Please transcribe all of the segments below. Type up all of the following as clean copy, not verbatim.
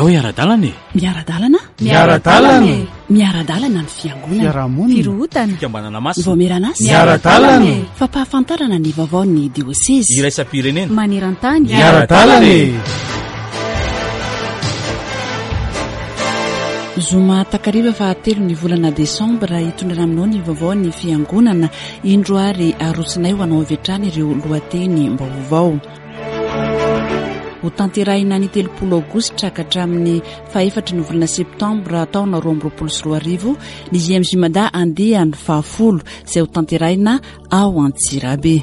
Ndao hiara-dalana e! Miara-dalana? Miara-dalana e! Miara-dalana ny fiangonana. Fiarahamonina. Firohotana. Fikambanana masina. Vaomieran'asa. Miara-dalana e! Fampahafantarana ny vaovaon'ny diosezy. Iraisam-pirenena. Maneran-tany. Miara-dalana e! Zoma takariva fahatelo ny volana desambra hitondrana aminao ny vaovaon'ny fiangonana. Indro ary arosonay ho anao avy hatrany ireo lohatenim-baovao. Ho tanterahina ny 30 aogositra ka hatramin'ny fahefatry ny volana septambra taona 2022 ny JMJ Mada andiany fahafolo izay ho tanterahina ao Antsirabe.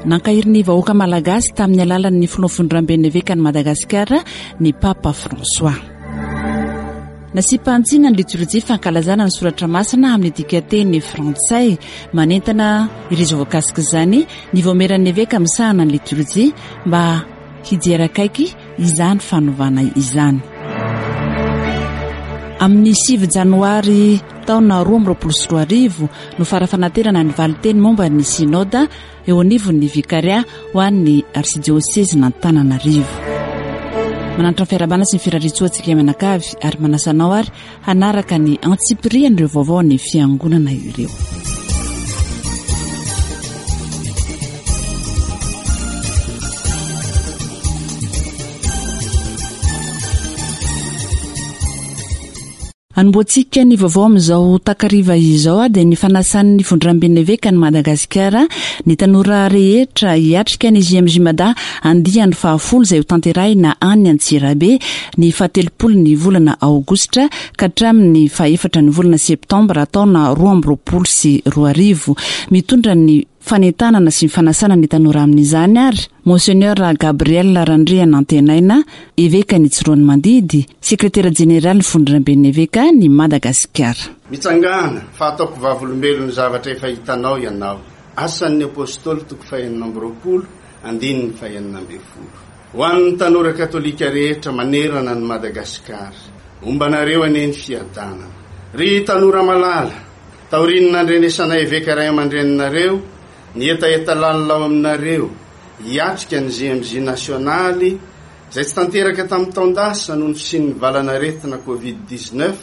Nankahery ny vahoaka malagasy tamin'ny alalan'ny filoha fondramben'ny evekan'i Madagasikara ny Papa François. Nasiam-pahantsiana ny litorjia fankalazana ny soratra masina amin'ny dikanteny frantsay. Manentana ireo izay voakasik'izany ny vaomieran'ny eveka misahana ny litorjia mba hijery akaiky izany fanovana izany. Amin'ny 9 janoary taona 2022 no fara-fanaterana ny valinteny momba ny synoda eo anivon'ny Vikaria ho an'ny Arsidiosezin'Antananarivo. Mananatra ny fiarahabana sy ny firariantsoa antsika mianakavy ary manasa anao ary hanaraka ny antsipirian'ireo vaovao ny fiangonana ireo. Anombohantsika ny vaovao amin'izao takariva izao dia ny fanasan'ny Vondramben'ny Evekan'i Madagasikara ny tanora rehetra hiatrika ny JMJ Mada andiany fahafolo izay hotanterahina any Antsirabe ny fahatelopolo ny volana aogositra ka hatramin'ny fahefatra ny volana septambra taona 2022. Mitondra ny fanentanana sy ny fanasana ny tanora amin'izany ary Monseigneur Gabriel Randrianantenaina, Evekan'i Tsiroanomandidy, Sekretera Jeneralin'ny Fondronamben'ny Evekan'i Madagasikara. Mitsangàna, fa hataoko vavolombelon'ny zavatra efa hitanao ianao. Asan'ny Apostoly toko fahenina amby 20, andininy fahenina ambin'ny folo. Ho an'ny tanora katolika rehetra manerana an'i Madagasikara, homba anareo anie ny fiadanana. Ry tanora malala, taorian'ny nandrenesanay eveka ray aman-dreninareo, ny hetaheta lalina ao aminareo hiatrika ny JMJ nasionaly izay tsy tanteraka tamin'ny taon-dasa noho ny fisian'ny valan'aretina Covid 19,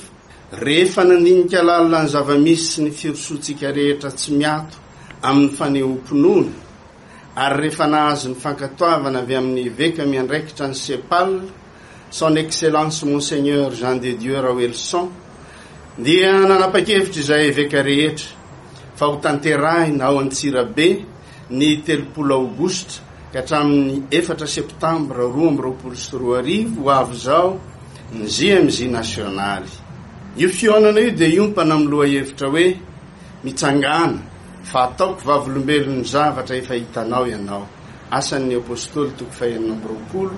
rehefa nandinika lalina ny zava-misy sy ny firosoantsika rehetra tsy miato amin'ny fanehoam-pinoana ary rehefa nahazo ny fankatoavana avy amin'ny eveka miandraikitra ny CEPAL, Son Excellence Monseigneur Jean de Dieu Raoelison, dia nanapa-kevitra izahay eveka rehetra fa ho tanterahina ao Antsirabe ny 30 aogositra ka hatramin'ny 4 septambra 2022 ho avy izao ny JMJ nasionaly. Io fihaonana io dia hiompana amin'ny lohahevitra hoe Mitsangàna fa ataoko vavolombelon'ny zavatra efa hitanao ianao. Asan'ny Apostoly toko fahenina amby 20,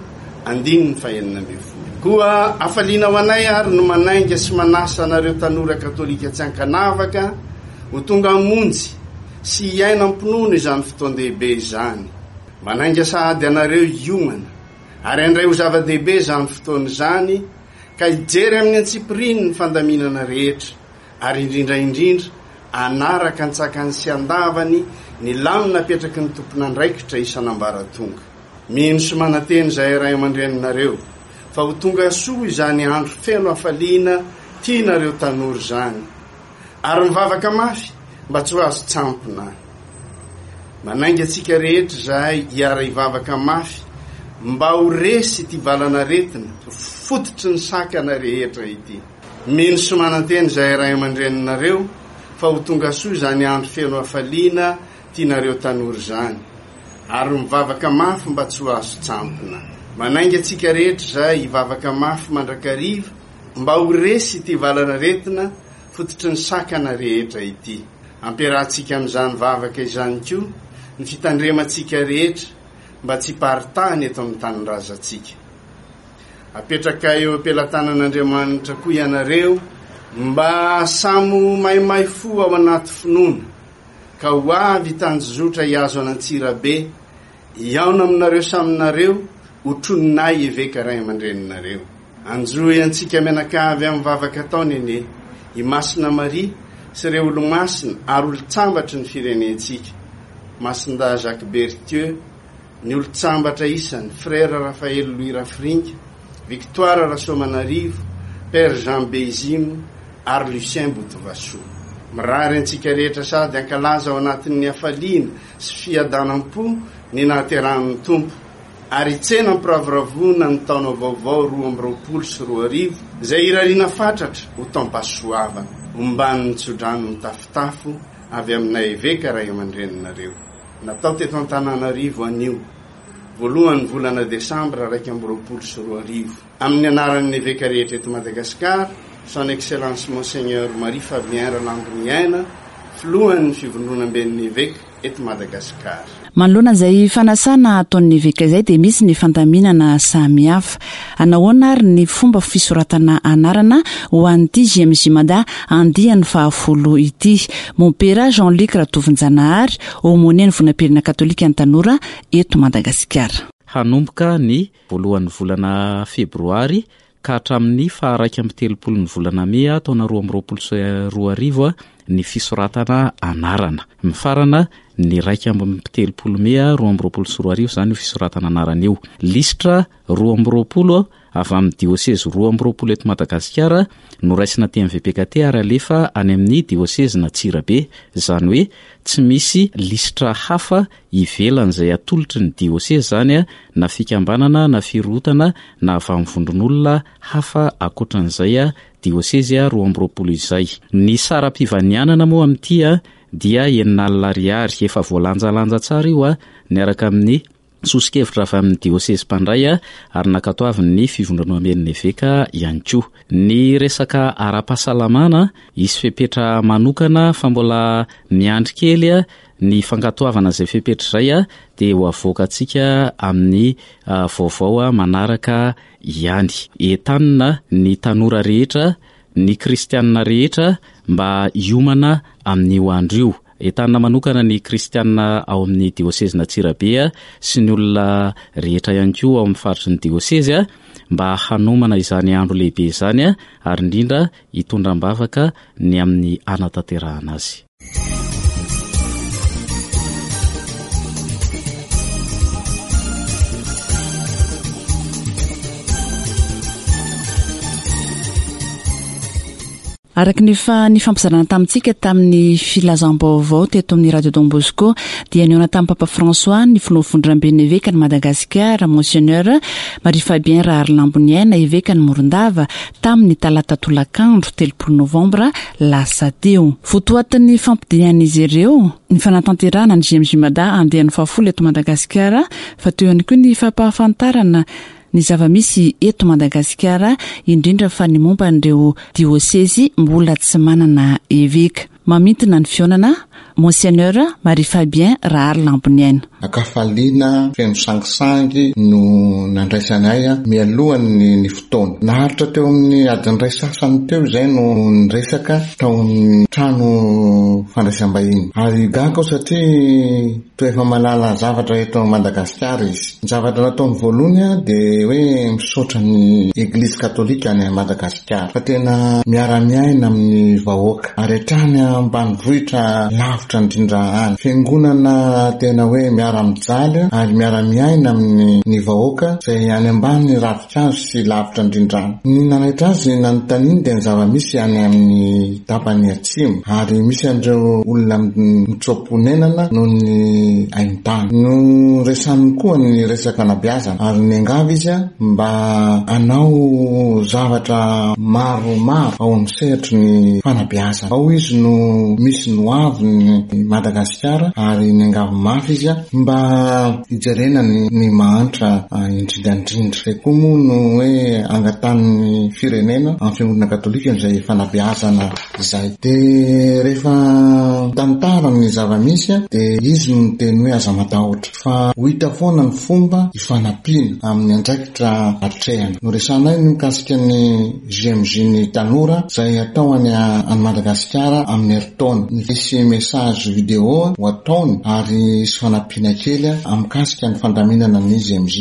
andininy fahenina ambin'ny folo. Koa hafaliana ho anay ary no manainga sy manasa anareo tanora katolika tsy ankanavaka ho tonga hamonjy sy hiaina am-pinoana izany fotoan-dehibe izany. Manainga sahady anareo hiomana ary handray ho zava-dehibe izany fotoana izany ka hijery amin'ny antsipiriany ny fandaminana rehetra ary indrindra indrindra hanaraka an-tsakany sy an-davany ny lamina apetraky ny tompon'andraikitra isan'ambaratonga. Mino sy manantena izahay ray aman-dreninareo fa ho tonga soa izany andro feno hafaliana tianareo tanora izany, ary mivavaka mafy mba tsy ho azon-tsampona. Manainga antsika rehetra izahay hiara-hivavaka mafy mba ho resy ity valan'aretina fototry ny sakana rehetra ity. Mino sy manantena izahay ray aman-dreninareo fa ho tonga soa izany andro feno hafaliana tianareo tanora izany, ary mivavaka mafy mba tsy ho azon-tsampona. Manainga antsika rehetra izahay hivavaka mafy mandrakariva mba ho resy ity valan'aretina fototry ny sakana rehetra ity. Ampiarahantsika amin'izany vavaka izany koa ny fitandremantsika rehetra mba tsy hiparitahany eto amin'ny tanindrazantsika. Apetraka eo am-pelatanan'Andriamanitra koa ianareo mba samy ho maimay fo ao anaty finoana, ka ho avy hitanjozotra hihazo an'Antsirabe, hihaona aminareo saminareo, hotroninay eveka ray aman-dreninareo. Anjohy antsika mianakavy amin'ny vavaka ataony anie i Masina Maria sy ireo olomasina ary olon-tsambatry ny firenentsika, Masindahy Jacques Berthieu, Ny olon-tsambatra isany, Frère Raphaël Louis Rafiringa, Victoire Rasoamanarivo, Père Jean Beyzimo ary Lucien Botovasoa. Mirary antsika rehetra sady hankalaza ao anatin'ny hafaliana sy fiadanam-po ny nahaterahan'ny Tompo ary hitsena am-piravoravoana ny taona vaovao 2022 izay irariana fatratra ho taom-pahasoavana, omban'ny tsodrano mitafotafo avy aminay Eveka ray aman-dreninareo. Natao teto Antananarivo anio, voalohan'ny volana desambra 2021. Amin'ny anaran'ny Eveka rehetra eto Madagasikara, Son Excellence Monseigneur Marie Fabien Ralamboniaina, Filohan'ny Fivondronamben'ny Eveka eto Madagasikara. Manoloana izay fanasana ataon'ny Eveka izay dia misy ny fandaminana samihafa. Anahoana ary ny fomba fisoratana anarana ho an'ity JMJ Mada andiany fahafolo ity? Mompera Jean Luc Ratovonjanahary, Aumônier ny Vonam-pirenena Katolika ny Tanora eto Madagasikara. Hanomboka ny voalohan'ny volana febroary ka hatramin'ny faha-31 ny volana mey taona 2022 ny fisoratana anarana. Mifarana ny 31 mey 2022 izany io fisoratana anarana io. Lisitra 22 avy amin'ny diosezy 22 eto Madagasikara no raisina aty amin'ny VPKT ary alefa any amin'ny diosezin'Antsirabe. Izany hoe tsy misy lisitra hafa ivelan'izay atolotry ny diosezy izany na fikambanana na firohotana na avy amin'ny vondron'olona hafa ankoatran'izay diosezy 22 izay. Ny saram-pivanianana moa amin'ity dia 60 ariary. Efa voalanjalanja tsara io niaraka amin'ny Soso-kevitra avy amin'ny diosezy mpandray ary nankatoavin'ny fivondronamben'ny eveka ihany koa. Ny resaka ara-pahasalamana, hisy fepetra manokana fa mbola miandry kely ny fankatoavana izay fepetra izay dia ho avoakantsika amin'ny vaovao manaraka ihany. Entanina ny tanora rehetra, ny kristianina rehetra mba hiomana amin'io andro io. Entanina manokana ny kristianina ao amin'ny diosezin'Antsirabe sy ny olona rehetra ihany koa ao amin'ny faritry ny diosezy mba hanomana izany andro lehibe izany ary indrindra hitondra am-bavaka ny amin'ny hanatanterahana azy. Araka ny efa nifampizarana tamintsika tamin'ny filazam-baovao teto amin'ny Radio Don Bosco dia nihaona tamin'ny Papa François ny filoha vondramben'ny evekan'i Madagasikara Monseigneur Marie Fabien Raharilamboniaina evekan'i Morondava tamin'ny talata tolakandro 30 novambra lasa teo. Votoatin'ny fampidian'izy ireo ny fanatanterahana ny JMJ Mada andiany fahafolo eto Madagasikara fa teo ihany koa ny fampahafantarana ny zava-misy eto Madagasikara, indrindra fa ny momba an'ireo diosezy mbola tsy manana eveka. Mamintina ny fihaonana, Monseigneur Marie Fabien Raharilamboniaina. Ankafaliana feno sangisangy no nandraisanay mialohan'ny ny fotoana. Naharitra teo amin'ny adiny iray sasany teo izay no niresaka tao amin'ny trano fandraisam-bahiny. Ary gaga aho satria Toa efa mahalala zavatra eto Madagasikara izy. Ny zavatra nataony voalohany dia hoe misaotra ny Eglizy Katolika any Madagasikara fa tena miara-miaina amin'ny vahoaka ary hatrany ambanivohitra lavitra indrindra any. Fiangonana tena hoe miara-mijaly ary miara-miaina amin'ny ny vahoaka izay any ambany ravinkazo sy lavitra indrindra any. Ny nanaitra azy nanontaniany dia ny zava-misy any amin'ny tapany atsimo ary misy an'ireo olona mitsoa-ponenana noho ny haintany. Noresahiny koa ny resaka fanabeazana ary niangavy izy mba hanao zavatra maromaro ao amin'ny sehatry ny fanabeazana. Ao izy no misy ny hoavin'i Madagasikara ary niangavy mafy izy mba hijerena ny mahantra indrindra indrindra. Izay koa moa no hoe angatahan'ny firenena amin'ny fiangonana katolika izay fanabeazana izay. Dia rehefa mitantara ny zava-misy dia izy no miteny hoe aza matahotra fa ho hita foana ny fomba hifanampiana amin'ny andraikitra atrehana. Noresahanay ny mikasika ny JMJ ny tanora izay atao any any Madagasikara amin'ny herintaona. Hisy message vidéo ho ataony ary hisy fanampiana kely mikasika ny fandaminana ny JMJ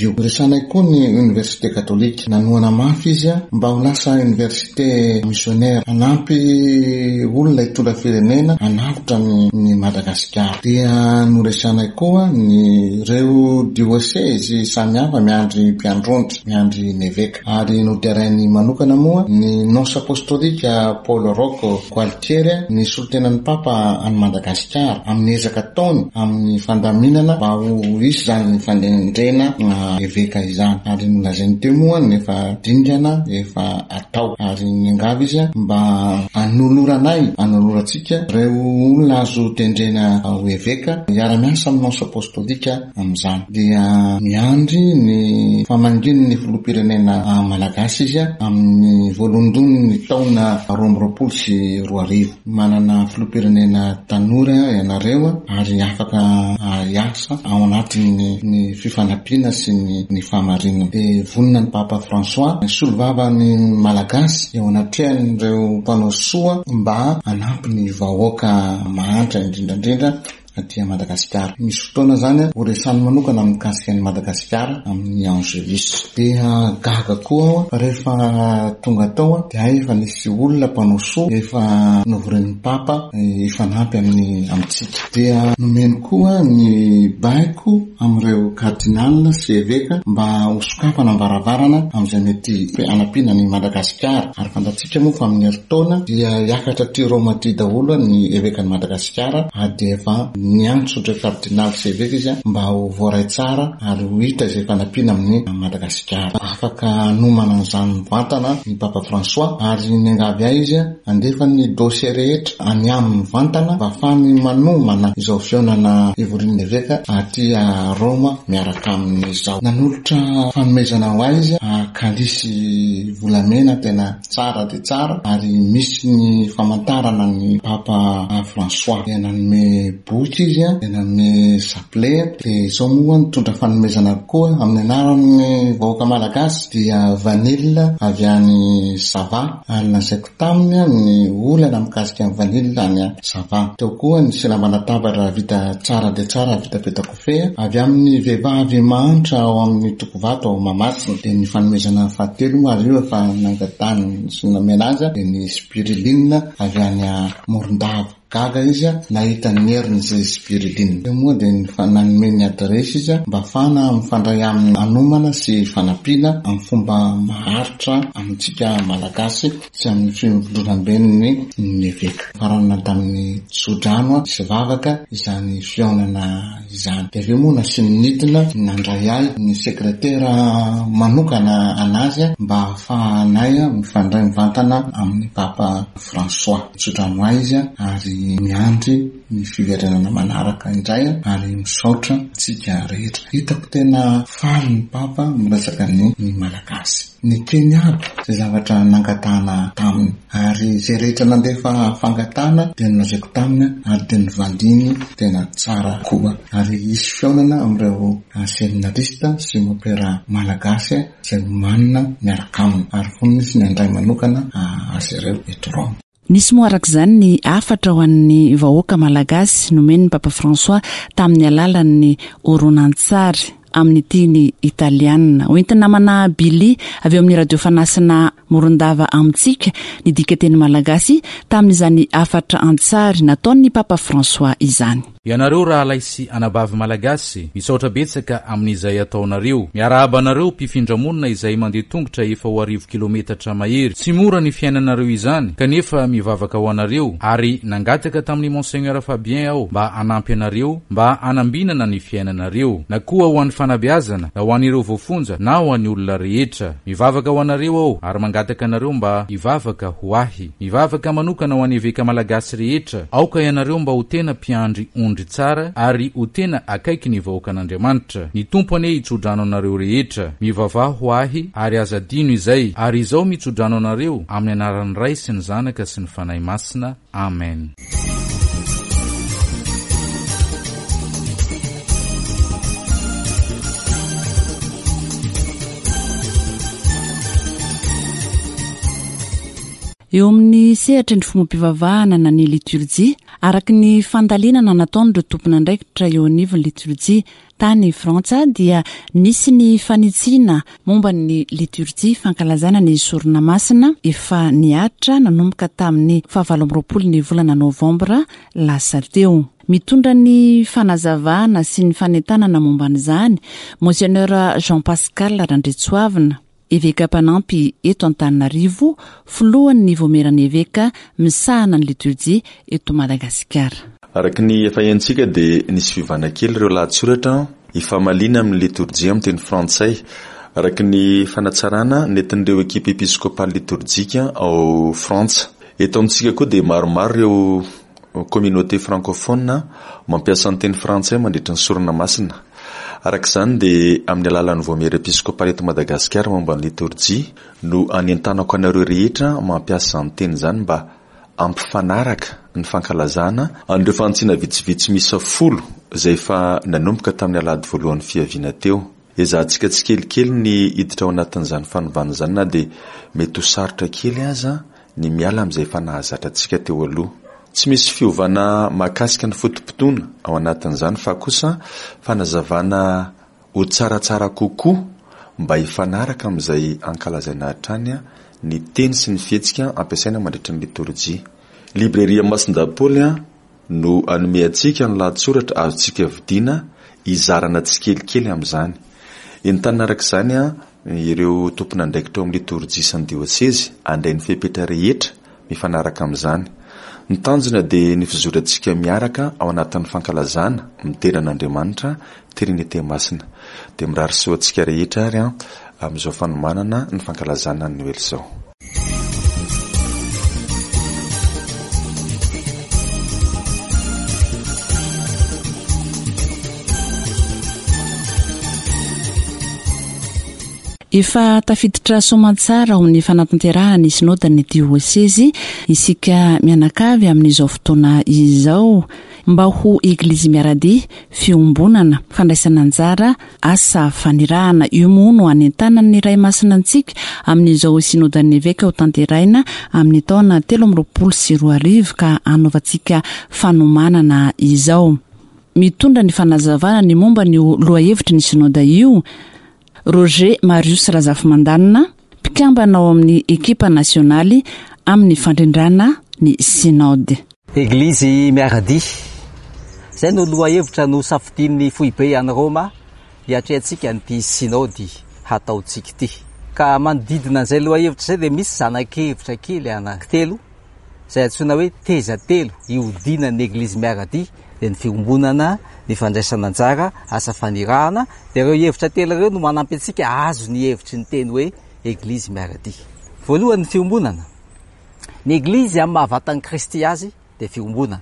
io. Noresahanay koa ny Université Katolika. Nanohana mafy izy mba ho lasa Université missionnaire hanampy olona hitondra firenena. fiangonana hanavotra ny ny Madagasikara. Dia noresahanay koa ny ireo diosezy samihafa miandry mpiandrondry, miandry ny eveka. Ary noderainy manokana moa ny Nonce Apostolika Paolo Rocco Gualtieri, ny solontenan'ny Papa any Madagasikara, amin'ny ezaka ataony amin'ny fandaminana mba ho hisy izany fanendrena eveka izany. Ary nolazainy teo moa ny efa dingana efa atao. Ary niangavy izy mba hanoloranay, hanolorantsika ireo olona azo tendrena ho eveka hiara-miasa amin'ny Nonce Apostolika amin'izany. Dia miandry ny famangian'ny filoham-pirenena malagasy izy amin'ny voalohondohon'ny taona 2022. Manana filoham-pirenena tanora ianareo ary afaka hiasa ao anatin'ny ny fifanampiana sy ny fahamarinana. Dia vonona ny Papa François hisolovava ny Malagasy eo anatrehan'ireo mpanao soa mba hanampy ny vahoaka mahantra indrindra indrindra aty Madagasikara. Misy fotoana izany ho resahiny manokana mikasika an'i Madagasikara amin'ny Angelus. Dia gaga koa aho fa rehefa tonga tao dia hay efa nisy olona mpanao soa efa novorin'ny Papa hifanampy amin'ny amintsika. Dia nomeny koa ny baiko amin'ireo Cardinal sy Eveka mba ho sokafana ny varavarana amin'izay mety hanampiana an'i Madagasikara. Ary fantatsika moa fa amin'ny herintaona dia hiakatra aty Roma aty daholo ny Evekan'i Madagasikara ary dia efa niantso ireo Kardinaly sy Eveka izy mba ho voaray tsara ary ho hita izay fanampiana amin'i Madagasikara. Afaka hanomana an'izany mivantana ny Papa François ary niangavy ahy izy handefa ny dossier rehetra any aminy mivantana mba hahafahany manomana izao fihaonana hivorian'ny Eveka aty Roma miaraka aminy izao. Nanolotra fanomezana ho ahy izy kalisy volamena tena tsara dia tsara ary misy ny famantarana ny Papa François. Dia nanome boky izy, dia nanome chapelet, dia izao moa nitondra fanomezana koa amin'ny anaran'ny vahoaka malagasy dia vanille avy any Sava ary lazaiko taminy ny olana mikasika ny vanille any Sava. Teo koa ny silamban-databatra vita tsara dia tsara vita peta-kofehy avy amin'ny vehivavy mahantra ao amin'ny Tokovato ao Mahamasina. Dia ny fanomezana fahatelo moa ary io efa nangatahany sy nomena azy dia ny spiruline avy any Morondava. Gaga izy nahita ny herin'izay spiruline. Teo moa dia nanome ny adiresy izy mba hahafahana mifandray aminy hanomana sy fanampiana amin'ny fomba maharitra amintsika Malagasy sy amin'ny fivondronamben'ny ny eveka. Faranana tamin'ny tsodrano sy vavaka izany fihaonana izany. Dia avy eo moa nasiany nidina nandray ahy ny sekretera manokana an'azy mba hahafahanay mifandray mivantana amin'ny Papa François. Nitsodrano ahy izy ary miandry ny fiverenana manaraka indray ary misaotra antsika rehetra. Hitako tena faly ny Papa miresaka ny Malagasy. Nekeny aby izay zavatra nangatahana taminy ary izay rehetra nandefa fangatahana dia nolazaiko taminy ary dia novaliany tena tsara koa. Ary hisy fihaonana amin'ireo seminarista sy mopera Malagasy izay omanina miaraka aminy ary vonona izy ny handray manokana azy ireo eto Roma. Nisy moa araka izany ny hafatra ho an'ny vahoaka malagasy nomen'ny Papa François tamin'ny alalan'ny horonantsary amin'ny teny italiana. Hoentin'ny namana Billy avy eo amin'ny Radio Fanasina Morondava amintsika ny dikateny malagasy tamin'izany hafatra an-tsary nataon'ny Papa François izany. Ianareo rahalahy sy anabavy Malagasy, misaotra betsaka amin'izay ataonareo. Miarahaba anareo mpifindramonina izay mandeha tongotra efa ho arivo kilometatra mahery. Tsy mora ny fiainanareo izany, kanefa mivavaka ho anareo, ary nangataka tamin'i Monseigneur Fabien aho mba hanampy anareo mba hanambinana ny fiainanareo. Na koa ho an'ny fanabeazana, na ho an'ireo voafonja, na ho an'ny olona rehetra. Mivavaka ho anareo aho, ary mangataka anareo mba hivavaka ho ahy. Mivavaka manokana ho an'ny Eveka Malagasy rehetra, aoka ianareo mba ho tena mpiandry ondry tsara ary ho tena akaiky ny vahoakan'Andriamanitra. Ny Tompo anie hitsodrano anareo rehetra. Mivavaha ho ahy ary aza adino izay, ary izao mitsodrano anareo amin'ny anaran'ny Ray sy ny Zanaka sy ny Fanahy Masina. Amen. Eo amin'ny sehatry ny fombam-pivavahana na ny liturjia, Araka ny fandalinana nataon'ireo tompon'andraikitra eo anivon'ny litorjia tany Frantsa dia nisy ny fanitsiana momba ny litorjia fankalazana ny sorona masina efa nihatra nanomboka tamin'ny fahavalo amby 20 ny volana novambra lasa teo. Mitondra ny fanazavana sy ny fanentanana momba an'izany Monseigneur Jean Pascal Randriantsoavina. Eveka mpanampy eto Antananarivo, filohan'ny Voamieran'ny Eveka misahana ny liturjia eto Madagasikara. Araka ny efa henontsika dia nisy fiovana kely ireo lahatsoratra ifamaliana amin'ny litorjia amin'ny teny frantsay, araka ny fanatsarana nentin'ireo ekipa episkopaly litorjika ao Frantsa. Eto amintsika koa dia maromaro ireo Communauté francophone mampiasa ny teny frantsay mandritra ny sorona masina. Araka izany dia amin'ny alalan'ny Vaomiera Episkopaly eto Madagasikara momba ny litorjia no anentanako anareo rehetra mampiasa izany teny izany mba hampifanaraka ny fankalazana an'ireo fanitsiana vitsivitsy miisa folo izay efa nanomboka tamin'ny alahady voalohan'ny fiaviana teo. Ezahantsika tsikelikely ny hiditra ao anatin'izany fanovana izany na dia mety ho sarotra kely aza ny miala amin'izay efa nahazatra antsika teo aloha. Tsy misy fiovana mahakasika ny foto-potoana ao anatin'izany fa kosa fanazavana ho tsaratsara kokoa mba hifanaraka amin'izay ankalazaina hatrany ny teny sy ny fihetsika ampiasaina mandritra ny litorjia. Librairie Masindahy Paoly no hanome antsika ny lahatsoratra azontsika vidiana hizarana tsikelikely amin'izany. Entanina araka izany ireo tompon'andraikitra ao amin'ny litorjia sy ny diosezy handray ny fepetra rehetra mifanaraka amin'izany. Ny tanjona dia ny fizorantsika miaraka ao anatin'ny fankalazana midera an'Andriamanitra Trinite Masina. Dia mirary soa antsika rehetra ary amin'izao fanomanana ny fankalazana ny Noely izao. Efa tafiditra soamantsara ao amin'ny fanatanterahana ny Synodan'ny Diosezy isika mianakavy amin'izao fotoana izao. Mba ho Eglizy miara-dia, fiombonana, fandraisana anjara, asa fanirahana. Io moa no anentanan'ny Ray Masina antsika amin'izao Synodan'ny Eveka hotanterahina amin'ny taona 2023 ka hanaovantsika fanomanana izao. Mitondra ny fanazavana ny momba an'io lohahevitry ny Synoda io, Roger Marius Razafimandanina, mpikambana ao amin'ny ekipa nasionaly amin'ny fandrindrana ny Synoda. Eglizy miara-dia. Izay no lohahevitra nosafidian'ny foibe any Roma hiatrehantsika an'ity Sinaody hataontsika ity. Ka manodidina an'izay lohahevitra izay dia misy zana-kevitra kely anankitelo izay antsoina hoe teza telo ihodinan'ny Eglizy miara-dia, dia ny fiombonana, ny fandraisana anjara, asa fanirahana. Dia ireo hevitra telo ireo no manampy antsika hahazo ny hevitry ny teny hoe Eglizy miara-dia. Voalohany ny fiombonana. Ny Eglizy amin'ny maha vatan'i Kristy azy dia fiombonana.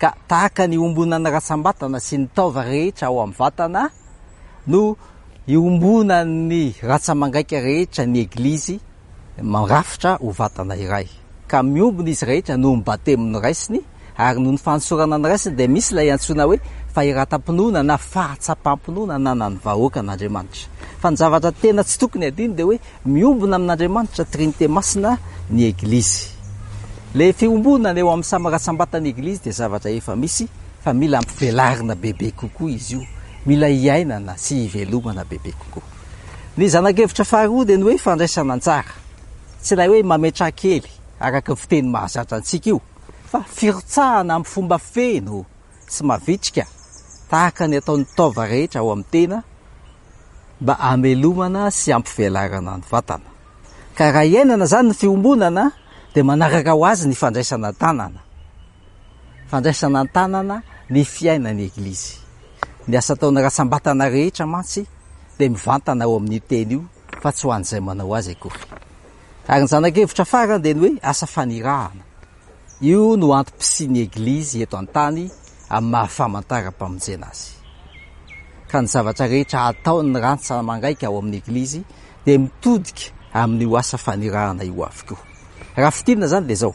Ka tahaka ny iombonan'ny ratsam-batana sy ny taova rehetra ao amin'ny vatana no iombonan'ny ratsa-mangaika rehetra ny Eglizy mirafitra ho vatana iray. Ka miombona izy rehetra noho ny batemy noraisiny ary noho ny fanosorana noraisiny dia misy ilay antsoina hoe fahiratam-pinoana na fahatsapam-pinoana ananan'ny vahoakan'Andriamanitra. Fa ny zavatra tena tsy tokony hadino dia hoe Miombona amin'Andriamanitra Trinite Masina ny Eglizy. Ilay fiombonana eo amin'ny samy ratsambatan'ny Eglizy dia zavatra efa misy fa mila ampivelarina bebe kokoa izy io, mila iainana sy ivelomana bebe kokoa. Ny zana-kevitra faharoa dia ny hoe fandraisana anjara. Tsy ilay hoe mametraha kely araka ny fiteny mahazatra antsika io fa firotsahana amin'ny fomba feno sy mavitrika tahaka ny ataon'ny taova rehetra ao amin'ny tena mba hamelomana sy hampivelarana ny vatana. Ka raha iainana izany ny fiombonana dia manaraka ho azy ny fandraisana an-tanana. Fandraisana an-tanana ny fiainan'ny Eglizy. Ny asa ataon'ny ratsam-batana rehetra mantsy dia mivantana ao amin'io teny io fa tsy ho an'izay manao azy akory. Ary ny zana-kevitra farany dia ny hoe asa fanirahana. Io no antom-pisian'ny Eglizy eto an-tany amin'ny maha famantaram-pamonjena azy. Ka ny zavatra rehetra ataon'ny rantsa-mangaika ao amin'ny Eglizy dia mitodika amin'io asa fanirahana io avokoa. Raha fintinina izany dia izao,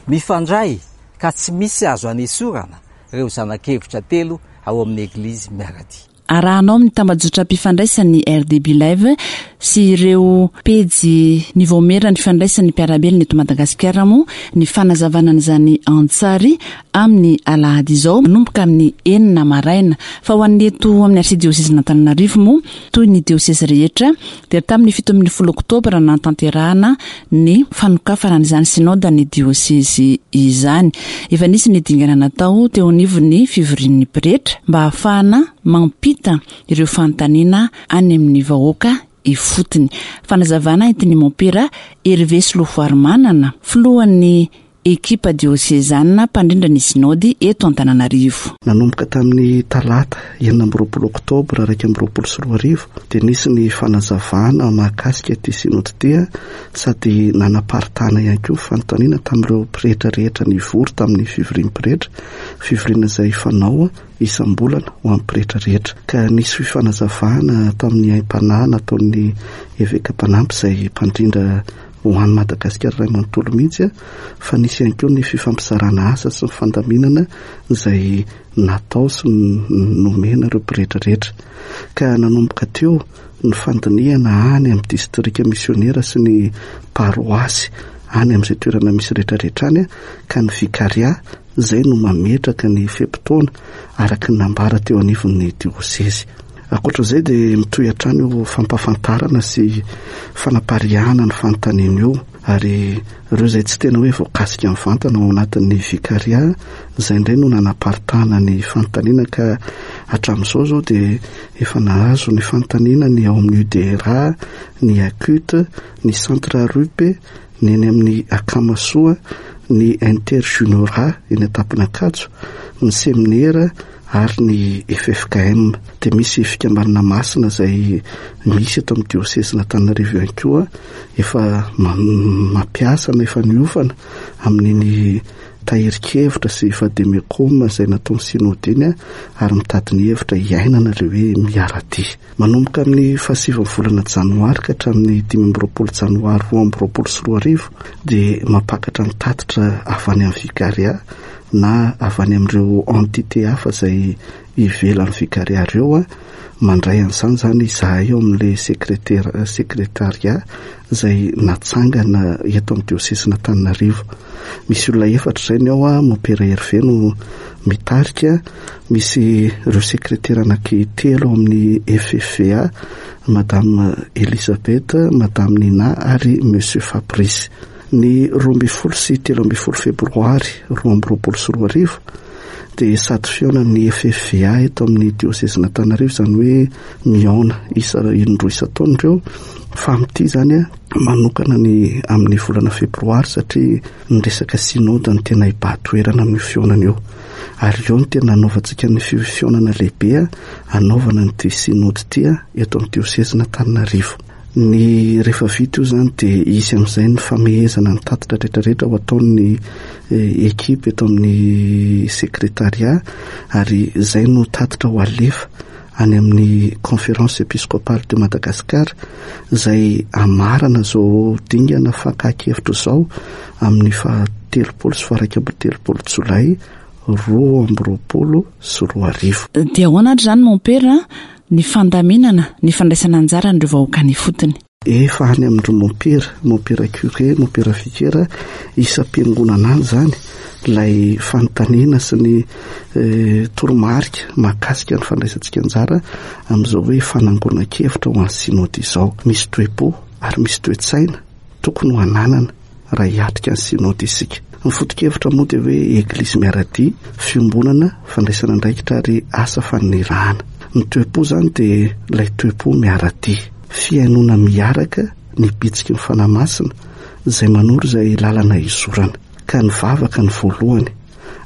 mifandray ka tsy misy azo anesorana ireo zana-kevitra telo ao amin'ny Eglizy miara-dia. Arahanao amin'ny tambajotram-pifandraisan'ny RDB Live sy ireo pejy ny Vaomiera ny Fifandraisan'ny Mpiara-belona eto Madagasikara moa ny fanazavana an'izany an-tsary amin'ny alahady izao manomboka amin'ny enina maraina. Fa ho an'ny eto amin'ny Arsidiosezin'Antananarivo moa, toy ny diosezy rehetra, dia tamin'ny 17 oktobra nanatanterahana ny fanokafana an'izany synodan'ny diosezy izany. Efa nisy ny dingana natao teo anivon'ny fivorian'ny pretra mba hahafahana mampita ireo fanontaniana any amin'ny vahoaka ifotony. Fanazavana entin'ny mompera Hervé Solofoarimanana, filohan'ny Ekipa diosezanina mpandrindra ny Sinaody eto Antananarivo. Nanomboka tamin'ny talata 26 oktobra 2021 dia nisy ny fanazavana mahakasika ity Sinaody ity sady nanaparitahana ihany koa fanontaniana tamin'ireo pretra rehetra nivory tamin'ny fivorian'ny pretra, fivoriana izay fanao isam-bolana ho an'ny pretra rehetra. Ka nisy fifanazavana tamin'ny aim-panahy nataon'ny eveka mpanampy izay mpandrindra ho an'i Madagasikara iray manontolo mihitsy fa nisy ihany koa ny fifampizarana asa sy ny fandaminana izay natao sy nomena ireo pretra rehetra. Ka nanomboka teo ny fandinihana any amin'ny distrika misionera sy ny paroasy any amin'izay toerana misy rehetrarehetra any ka ny vikaria izay no mametraka ny fe-potoana araka ny nambara teo anivon'ny diosezy. Ankoatra izay dia mitohy hatrany io fampahafantarana sy fanapariahana ny fanontaniana io ary ireo izay tsy tena hoe voakasika mivantana ao anatin'ny vikaria izay indray no nanaparitahana ny fanontaniana ka hatramin'izao izao dia efa nahazo ny fanontaniana ny ao amin'ny UDRA, ny ACUT, ny Centre RUP, ny eny amin'ny Akamasoa, ny Inter Juniorat eny Antapon'Ankatso, ny seminera ary ny ffkm. Dia misy fikambanana masina izay misy eto amin'ny diosezin'Antananarivo ihany koa efa mampiasa na efa niofana amin'iny tahirin-kevitra sy vademecum izay nataon'ny synode iny ary mitady ny hevitra hiainana ilay hoe miara-dia. Manomboka amin'ny fahasivin'ny volana janoary ka hatramin'ny 25 janoary 2022 dia mampakatra ny tatitra avy any amin'ny Vicaria na avy any amin'ireo entité hafa izay ivelan'ny Vicaria ireo. Mandray an'izany izany izahay ao amin'ilay sekretera, secrétariat izay natsangana eto amin'ny diosezin'Antananarivo. Misy olona efatra izay ny ao, Mompera Hervé no mitarika, misy ireo sekretera anaky telo ao amin'ny FFVA, Madame Elisabeth, Madame Nina ary Monsieur Fabrice. Ny 12 sy 13 febroary 2022 dia sady fihaonan'ny FFVA eto amin'ny diosezin'Antananarivo, izany hoe mihaona isa indroa isan-taona ireo, fa amin'ity izany manokana ny amin'ny volana febroary satria ny resaka synode no tena hibahan-toerana amin'io fihaonana io. Ary eo no tena hanaovantsika ny fihaonana lehibe hanaovana an'ity synode ity eto amin'ny diosezin'Antananarivo. Ny rehefa vita io izany dia hisy amin'izay ny famehezana ny tatitra rehetrarehetra ho ataon'ny ekipa eto amin'ny sekretariat ary izay no tatitra ho alefa any amin'ny Conférence Episcopale de Madagascar izay hamarana izao dingana fakan-kevitra izao amin'ny faha 30 sy faha 31 jolay 2022. Dia ahoana ary izany Mompera ny fandaminana ny fandraisana anjaran'ireo vahoaka any ifotony? Efa any amin-dry mompera, mompera curé, mompera vicaire isam-piangonana any izany ilay fanontaniana sy ny toromarika mahakasika ny fandraisantsika anjara amin'izao hoe fanangonan-kevitra ho an'ny synode izao. Misy toe-po ary misy toe-tsaina tokony ho ananana raha hiatrika ny synode isika. Ny foto-kevitra moa dia hoe Eglizy miara-dia, fiombonana, fandraisana andraikitra ary asa fanirahana. Ny toe-po izany dia ilay toe-po miara-dia. Fihainoana miaraka ny bitsiky ny Fanahy Masina izay manoro izay lalana hizorana. Ka ny vavaka no voalohany,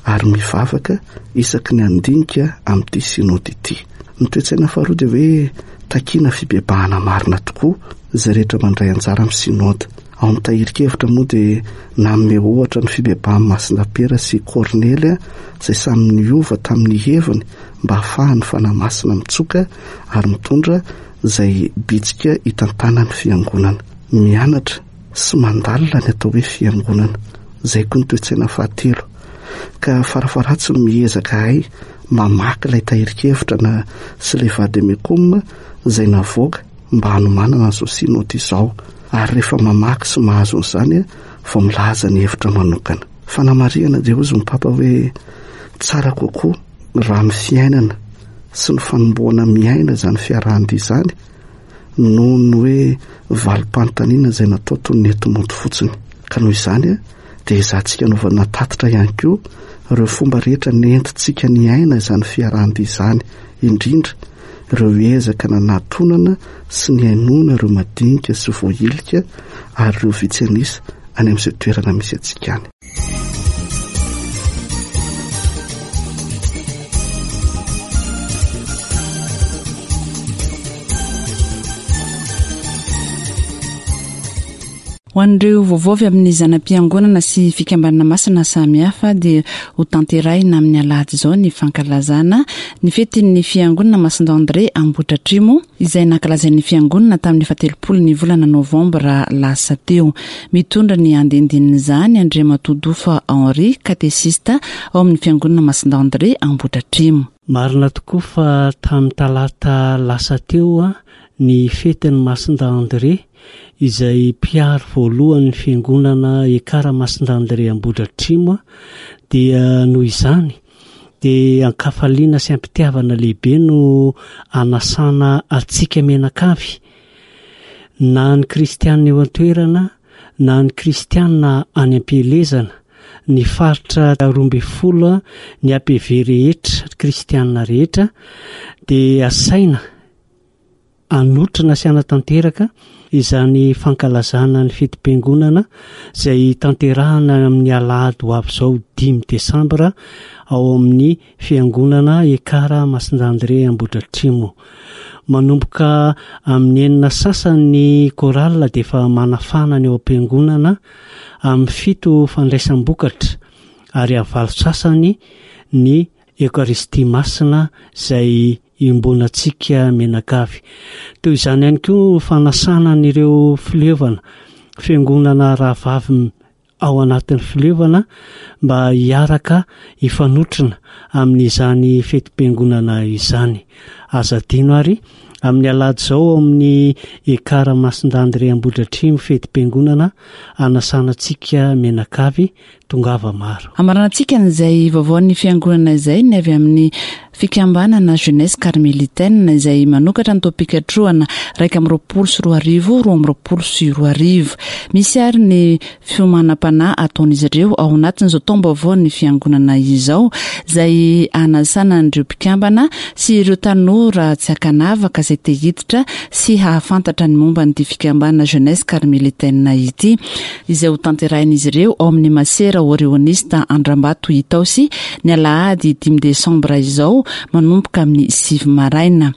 ary mivavaka isaky ny handinika amin'ity Synode ity. Ny toe-tsaina faharoa dia hoe takiana fibebahana marina tokoa izay rehetra mandray anjara amin'ny Synode. Ao amin'ny tahirin-kevitra moa dia nanome ohatra ny fibebahan'i Masina Piera sy Kornely izay samy niova tamin'ny heviny mba hahafahan'ny Fanahy Masina mitsoka ary mitondra izay bitsika hitantanan'ny fiangonana. Mianatra sy mandalina ny atao hoe fiangonana. Izay koa ny toe-tsaina fahatelo. Ka farafaharatsiny miezaka ahay mamaky ilay tahirin-kevitra na sy ilay vademecum izay navoaka mba hanomanana an'izao synode izao. Ary rehefa mamaky sy mahazo an'izany vao milaza ny hevitra manokana. Fanamarihana dia hozy ny Papa hoe tsara kokoa raha ny fiainana sy ny fanombohana miaina izany fiarahan-dia izany noho ny hoe valim-panontaniana izay natao toy ny enti-mody fotsiny. Ka noho izany dia ezahantsika anaovana tatitra ihany koa ireo fomba rehetra nentintsika niaina izany fiarahan-dia izany, indrindra ireo ezaka nanatonana sy nihainoana ireo madinika sy voahilika ary ireo vitsy an'isa any amin'izay toerana misy antsika any. Ho an'ireo vaovao avy amin'ny zana-piangonana sy fikambanana masina samihafa dia ho tanterahina amin'ny alahady izao ny fankalazana ny fetin'ny fiangonana Masindahy André Ambohidratrimo izay nankalazain'ny fiangonana tamin'ny fahatelopolo ny volana novambra lasa teo. Mitondra ny andindinin'izany Andriamatoa Dofa Henri, katesista ao amin'ny fiangonana Masindahy André Ambohidratrimo. Marina tokoa fa tamin'ny talata lasa teo ny fetin'i Masindahy André izay mpiaro voalohan'ny fiangonana Ekara Masindahy André Ambohidratrimo dia noho izany dia an-kafaliana sy am-pitiavana lehibe no anasana antsika mianakavy na ny kristiana eo an-toerana na ny kristiana any am-pielezana, ny faritra 12, ny APV rehetra, kristiana rehetra dia asaina hanotrona sy hanatanteraka izany fankalazana ny fetim-piangonana izay tanterahana amin'ny alahady ho avy izao dimy desambra ao amin'ny fiangonana Ekara Masindahy André Ambohidratrimo. Manomboka amin'ny enina sasany ny chorale dia efa manafana ny ao am-piangonana, amin'ny fito fandraisam-bokatra ary amin'ny valo sasany ny Eokaristia Masina izay iombonantsika mianakavy. Toy izany ihany koa ny fanasana an'ireo fileovana, fiangonana rahavavy ao anatin'ny fileovana mba hiaraka hifanotrona amin'izany fetim-piangonana izany. Aza adino ary, amin'ny alahady izao ao amin'ny Ekar Masindahy André Ambohidratrimo fetim-piangonana hanasana antsika mianakavy Tongava maro. Hamaranantsika an'izay vaovaon'ny fiangonana izay ny avy amin'ny fikambanana Jeunesse Carmelitaine izay manokatra ny taom-pikatrohana 2021 2022. Misy ary ny fiomanam-panahy ataon'izy ireo ao anatin'izao taom-baovaon'ny fiangonana izao izay hanasana an'ireo mpikambana sy ireo tanora tsy ankanavaka izay te hiditra sy hahafantatra ny momba an'ity fikambanana Jeunesse Carmelitaine ity. izay hotanterahin'izy ireo ao amin'ny Masera Orionista Andrambato Itaosy ny alahady dimy desambra izao manomboka amin'ny sivy maraina.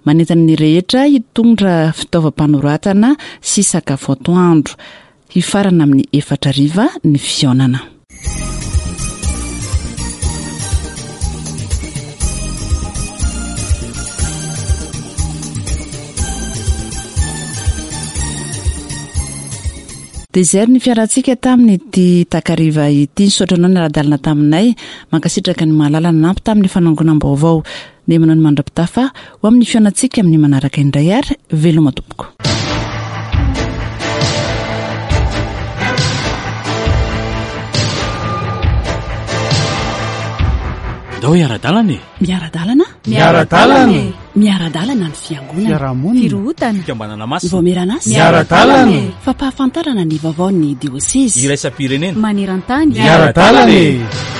Manentana ny rehetra hitondra fitaovam-panoratana sy sakafo atoandro. Hifarana amin'ny efatra hariva ny fihaonana. Dia izay ary ny fiarantsika tamin'ity takariva ity. Nisaotra anao niara-dalana taminay. Mankasitraka ny mahalala nanampy tamin'ny fanangonam-baovao. Dia manao ny mandra-pitafa ho amin'ny fihaonantsika amin'ny manaraka indray ary veloma tompoko. Ndao hiara-dalana e! Miara-dalana? Miara-dalana e! Miara-dalana ny fiangonana. Fiarahamonina. Firohotana. Fikambanana masina. Vaomieran'asa. Miara-dalana e! Fampahafantarana ny vaovaon'ny diosezy. Iraisam-pirenena. Maneran-tany. Miara-dalana e!